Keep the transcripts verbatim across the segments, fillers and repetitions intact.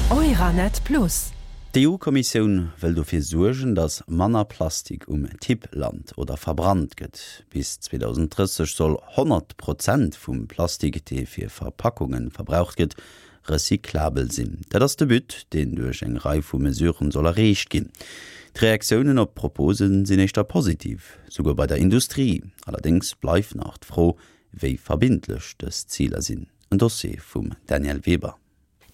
Euranet Plus. D'EU-Kommissioun wëll dofir suergen, datt manner Plastik um Tipp lant oder verbrannt gëtt. Bis zweedausenddrësseg soll honnert Prozent vum Plastik, dee fir Verpackunge verbraucht gëtt, recyclabel sinn. Dat ass de But, deen duerch eng Rei vu Mesuren soll erreecht ginn. D'Reaktiounen op d'Propose sinn éischter positiv, souguer bei der Industrie. Allerdéngs bleift nach d'Fro, wéi verbindlech dës Ziler sinn. En Dossier vum Danièle Weber.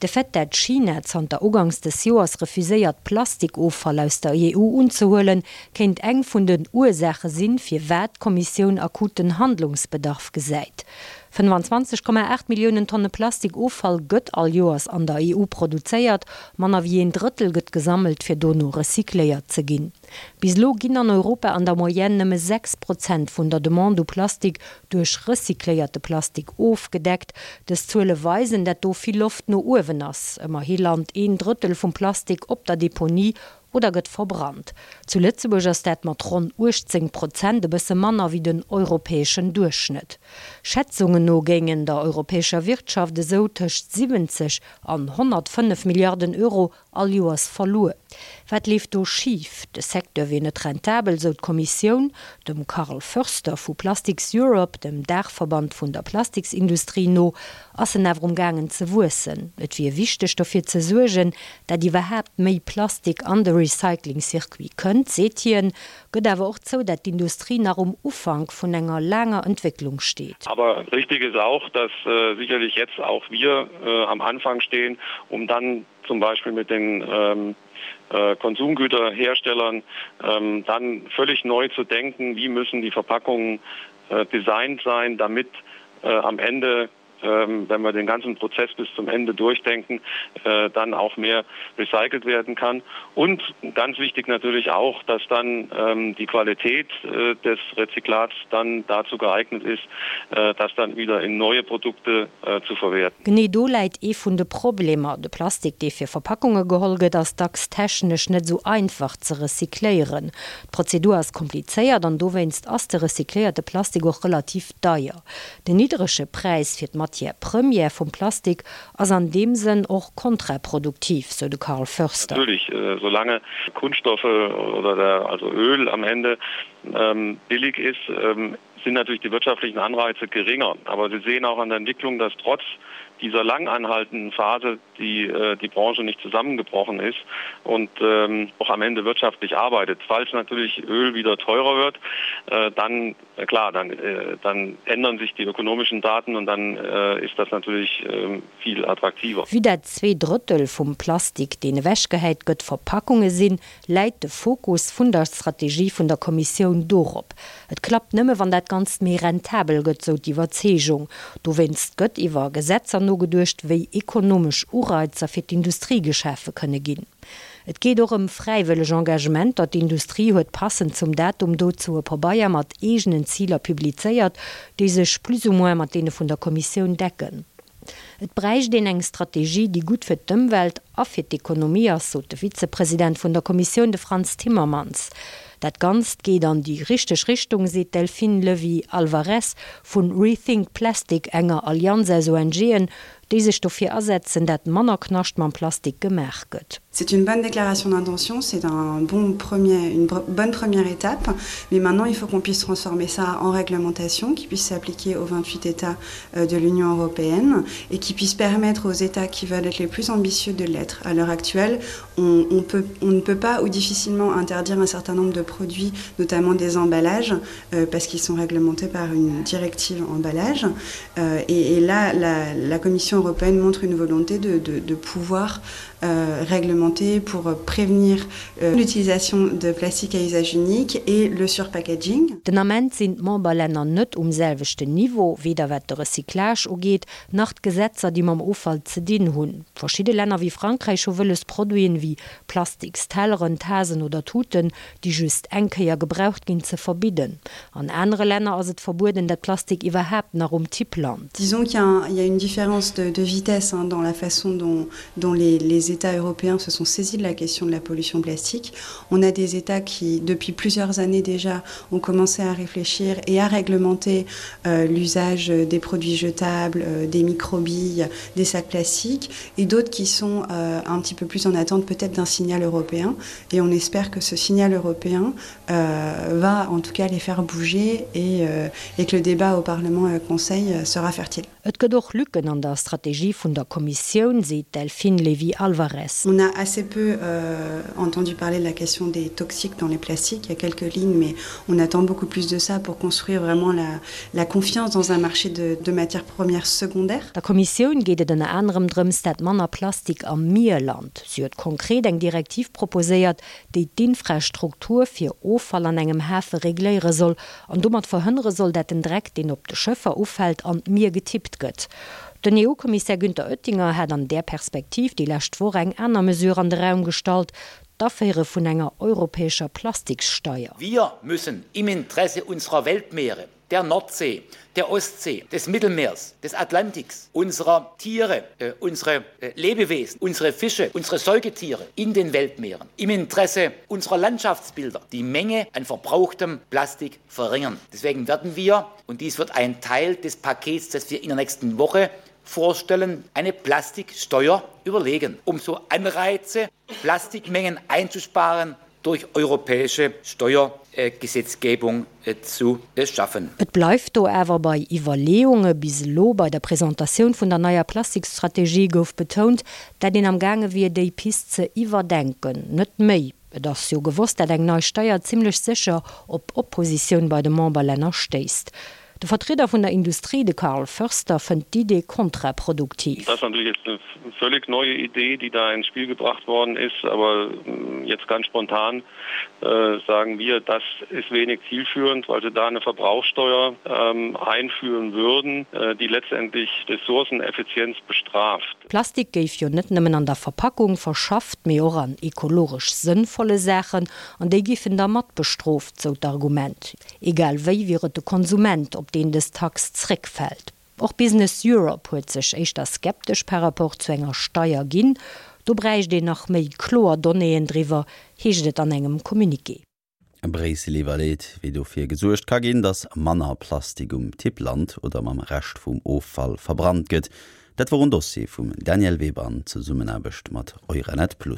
De Fait, dat China zanter uganks des Joers refuséiert, Plastikoffall aus der E U unzehuelen, kéint eng vun den Ursaache sinn, firwat d'Kommissioun akuten Handlungsbedarf gesäit. fënnefanzwanzeg Komma aacht Milliounen Tonne Plastikoffall gëtt all Joers an der E U produzéiert, manner wéi een Drëttel gëtt gesammelt, fir dono recycléiert ze ginn. Bis elo ginn an Europa an der Moyenne nëmme sechs Prozent vun der Demande u Plastik duerch recycléierte Plastik ofgedeckt. Dës Zuele weisen, dat do vill Loft no uewen ass. Ëmmerhi lant een Drëttel vum Plastik op der Deponie oder gëtt verbrannt. Zu Lëtzebuerg ass dat mat ronn uechtzéng Prozent e bësse manner wéi den europäeschen Duerchschnëtt. Schätzungen no géingen der europäescher Wirtschaft esou tëscht siwwenzeg an honnertfënnef Milliarden Euro all Joers verluer. Wat leeft do schif? De Secteur wier net rentabel, sou d'Kommissioun. Dem Karl Förster vu Plastics Europe, dem Daachverband vun der Plastiksindustrie no, ass en awer umgaangen ze wuessen. Et wier wichteg dofir ze suergen, dat iwwerhaapt méi Plastik an de Recycling-Circuit kënnt, seet hien, gëtt awer och zou, dat d'Industrie nach um Ufank vun enger laanger Entwécklung steet. Aber richtig ist auch, dass sicherlich jetzt auch wir am Anfang stehen, um dann zum Beispiel mit den Konsumgüterherstellern dann völlig neu zu denken, wie müssen die Verpackungen designt sein, damit am Ende, wenn wir den ganzen Prozess bis zum Ende durchdenken, dann auch mehr recycelt werden kann. Und ganz wichtig natürlich auch, dass dann die Qualität des Rezyklats dann dazu geeignet ist, das dann wieder in neue Produkte zu verwerten. Genee do läit ee vun de Problemer, De Plastik, dee fir Verpackunge geholl gëtt, ass dacks technesch net esou einfach ze recycléieren. D'Prozedur ass komplizéiert an dowéinst ass de recycléierte Plastik och relativ deier. Den niddrege Präis fir d'Matière première vum Plastik ass an deem Sënn och kontraproduktiv, sou de Karl Förster. Natürlich, solange Kunststoffe oder der, also Öl am Ende billig ist, sind natürlich die wirtschaftlichen Anreize geringer. Aber Sie sehen auch an der Entwicklung, dass trotz dieser lang anhaltenden Phase die, die Branche nicht zusammengebrochen ist und ähm, auch am Ende wirtschaftlich arbeitet. Falls natürlich Öl wieder teurer wird, äh, dann äh, klar, dann, äh, dann ändern sich die ökonomischen Daten und dann äh, ist das natürlich äh, viel attraktiver. Vue dat zwee Drëttel vum Plastik, deen ewechgehäit gëtt, Verpackunge sinn, läit de Fokus vun der Strategie vun der Kommissioun dorop. Et klappt nëmme wann dat Ganzt méi rentabel gëtt, sou d'Iwwerzeegung. Dowéinst gëtt iwwer Gesetzer nogeduecht, wéi ekonomesch Ureizer fir d'Industrie geschafe kënne ginn. Et geet och ëm fräiwëlleg Engagementer. D'Industrie huet passend zum Datum dozou e Pabeier mat eegenen Ziler publizéiert, déi sech plus ou moins mat deene vun der Kommissioun decken. Et bräicht een eng Strategie, déi gutt fir d'Ëmwelt a fir d'Ekonomie ass, sot de Vizepresident vun der Kommissioun, de Frans Timmermans. Dat Ganzt geet an déi richteg Richtung, seet d'Delphine Levy-Alvarez vun Rethink Plastic, enger Allianz aus O N G'en, déi sech dofir asetzen, dat manner Knascht mam Plastik gemaach gëtt. C'est une bonne déclaration d'intention, c'est un bon premier, une bonne première étape, mais maintenant il faut qu'on puisse transformer ça en réglementation qui puisse s'appliquer aux vingt-huit États de l'Union européenne et qui puisse permettre aux États qui veulent être les plus ambitieux de l'être. À l'heure actuelle, on, on, peut, on ne peut pas ou difficilement interdire un certain nombre de produits, notamment des emballages, euh, parce qu'ils sont réglementés par une directive emballage. Euh, et, et là, la, la Commission européenne montre une volonté de, de, de pouvoir euh, réglementer pour prévenir euh, l'utilisation de plastique à usage unique et le surpackaging. Den Ament sinn d'Memberlänner net um selwechten Niveau, weder wat de Recyclage ugeet, nach d'Gesetzer, déi mam Offall ze dinn hunn. Verschidde Länner wéi Frankräich hu wëlles, Produiten wéi Plastikstelleren, Tasen oder Tuten, déi just eng Kéier gebraucht ginn, ze verbidden. An anere Länner ass et verbueden, dat Plastik iwwerhaapt nach um Tipp lant. Disons qu'il y a, un, il y a une différence de, de vitesse hein, dans la façon dont, dont les, les États européens se sont saisis de la question de la pollution plastique. On a des États qui, depuis plusieurs années déjà, ont commencé à réfléchir et à réglementer euh, l'usage des produits jetables, euh, des microbilles, des sacs plastiques, et d'autres qui sont euh, un petit peu plus en attente peut-être d'un signal européen. Et on espère que ce signal européen euh, va en tout cas les faire bouger et, euh, et que le débat au Parlement et au Conseil euh, sera fertile. Et gëtt och Lücken an der Strategie vun der Kommissioun, seet d'Delphine Lévy-Alvarez. On a assez peu euh, entendu parler de la question des toxiques dans les plastiques. Il y a quelques lignes, mais on attend beaucoup plus de ça pour construire vraiment la, la confiance dans un marché de, de matières premières secondaires. Der Kommissioun geet et ënner anerem drëms, dat manner Plastik am Mier lant. Si huet konkret eng Direktiv proposéiert, déi d'Infrastruktur fir Offall an engem Hafe regléiere soll an domat verhënnere soll, dat den Dreck, deen op de Schëffer ufält, an d'Mier getippt gëtt. Den EU-Kommissär Günther Oettinger hat an där Perspektiv déi lescht Woch eng aner Mesure an de Raum gestallt, d'Aféiere vun enger europäescher Plastikssteier. Wir müssen im Interesse unserer Weltmeere, der Nordsee, der Ostsee, des Mittelmeers, des Atlantiks, unserer Tiere, äh, unsere äh, Lebewesen, unsere Fische, unsere Säugetiere in den Weltmeeren, im Interesse unserer Landschaftsbilder die Menge an verbrauchtem Plastik verringern. Deswegen werden wir, und dies wird ein Teil des Pakets, das wir in der nächsten Woche vorstellen, eine Plastiksteuer überlegen, um so Anreize, Plastikmengen einzusparen, durch europäische Steuergesetzgebung äh, zu schaffen. Et bleift do awer bei Iwwerleeunge. Bis elo bei der Presentatioun vun der neier Plastikstrategie gouf betount, dat een am gaange wier déi Pist ze iwwerdenken, net méi. Et ass jo gewosst, dat eng nei Steier zimmlech sécher op Oppositioun bei de Memberlänner stéisst. De Vertrieder vun der Industrie, de Karl Förster, fënnt d'Idee kontraproduktiv. Das ist natürlich jetzt eine völlig neue Idee, die da ins Spiel gebracht worden ist, aber hm, jetzt ganz spontan äh, sagen wir, das ist wenig zielführend, weil sie da eine Verbrauchssteuer ähm, einführen würden, äh, die letztendlich Ressourceneffizienz bestraft. Plastik géif jo net nëmmen an der Verpackung verschafft, mee och an ekologesch sënnvolle Saachen, an déi géifen da mat bestrooft, sou d'Argument. Egal wéi wier et de Konsument, op deen dës Tax zréckfält. Och Business Europe huet sech éischter skeptesch par rapport zu enger Steier ginn, do bräicht een nach méi kloer Donnéeën driwwer, heescht et an engem Communiqué. Bréissel iwwerleet, wéi dofir gesuergt ka ginn, datt manner Plastik um Tipp lant oder mam Rescht vum Offall verbrannt gëtt. Dat wor en Dossier vum Daniel Weber an Zesummenaarbecht mat Euranet Plus.